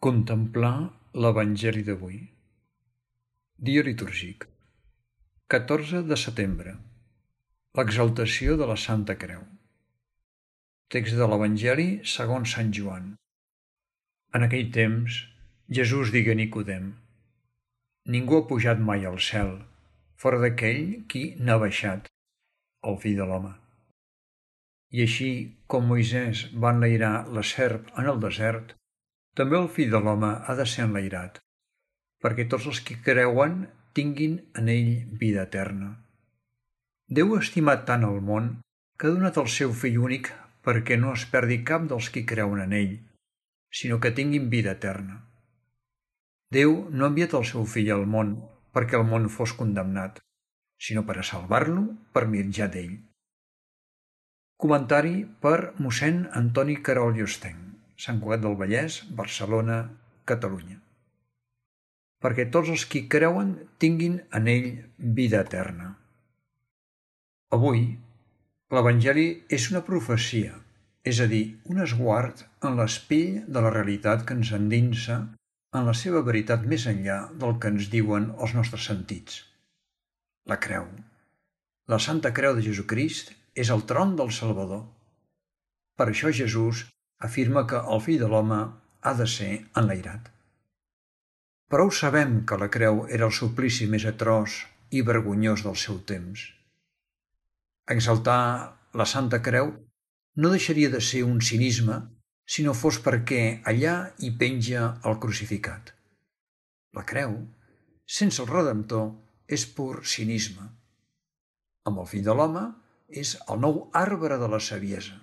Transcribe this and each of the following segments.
Contemplar l'Evangeli d'avui. Dia litúrgic. 14 de setembre. L'exaltació de la Santa Creu. Text de l'Evangeli segons Sant Joan. En aquell temps, Jesús digué a Nicodem: Ningú ha pujat mai al cel, fora d'aquell qui n'ha baixat, el Fill de l'home. I així com Moisès va enlairar la serp en el desert, també el Fill de l'home ha de ser enlairat, perquè tots els que creuen tinguin en ell vida eterna. Déu ha estimat tant el món que ha donat el seu Fill únic perquè no es perdi cap dels qui creuen en ell, sinó que tinguin vida eterna. Déu no ha enviat el seu Fill al món perquè el món fos condemnat, sinó per a salvar-lo per mitjà d'ell. Comentari per mossèn Antoni Querol i Hostenc, Sant Cugat del Vallès, Barcelona, Catalunya. Perquè tots els qui creuen tinguin en ell vida eterna. Avui, l'Evangeli és una profecia, és a dir, un esguard en l'espill de la realitat que ens endinsa en la seva veritat més enllà del que ens diuen els nostres sentits. La creu. La Santa Creu de Jesucrist és el tron del Salvador. Per això Jesús afirma que el Fill de l'home ha de ser enlairat. Prou sabem que la creu era el suplici més atroç i vergonyós del seu temps. Exaltar la Santa Creu no deixaria de ser un cinisme si no fos perquè allà hi penja el crucificat. La creu, sense el Redemptor, és pur cinisme. Amb el Fill de l'home és el nou arbre de la saviesa.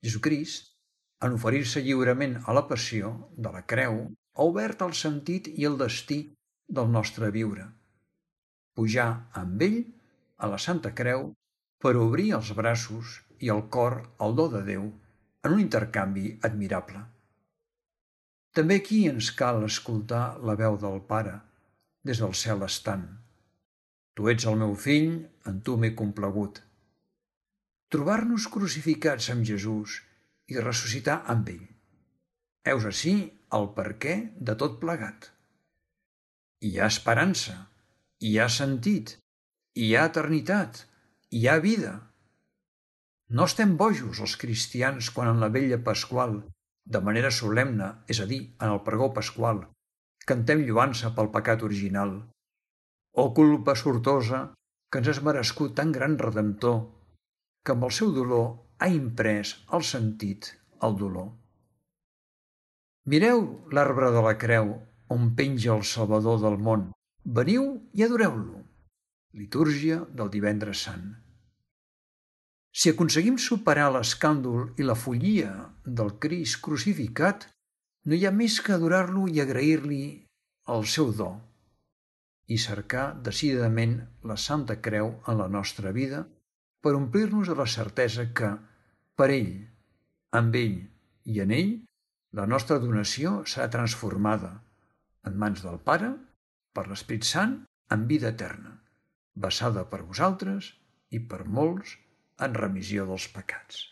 Jesucrist, en oferir-se lliurement a la passió de la creu, ha obert el sentit i el destí del nostre viure. Pujar amb ell a la Santa Creu per obrir els braços i el cor al do de Déu en un intercanvi admirable. També aquí ens cal escoltar la veu del Pare, des del cel estant. Tu ets el meu fill, en tu m'he complagut. Trobar-nos crucificats amb Jesús i ressuscitar amb ell. Heus ací el perquè de tot plegat. Hi ha esperança, hi ha sentit, hi ha eternitat, hi ha vida. No estem bojos els cristians quan en la vetlla pasqual, de manera solemne, és a dir, en el pregó pasqual, cantem lloança pel pecat original. O culpa sortosa que ens has merescut tan gran Redemptor, que amb el seu dolor ha imprès el sentit al dolor. Mireu l'arbre de la creu on penja el Salvador del món. Veniu i adoreu-lo. Litúrgia del Divendres Sant. Si aconseguim superar l'escàndol i la follia del Crist crucificat, no hi ha més que adorar-lo i agrair-li el seu do i cercar decididament la Santa Creu en la nostra vida per omplir-nos de la certesa que, per ell, amb ell i en ell, la nostra donació serà transformada en mans del Pare, per l'Esperit Sant, en vida eterna, vessada per vosaltres i per molts en remissió dels pecats.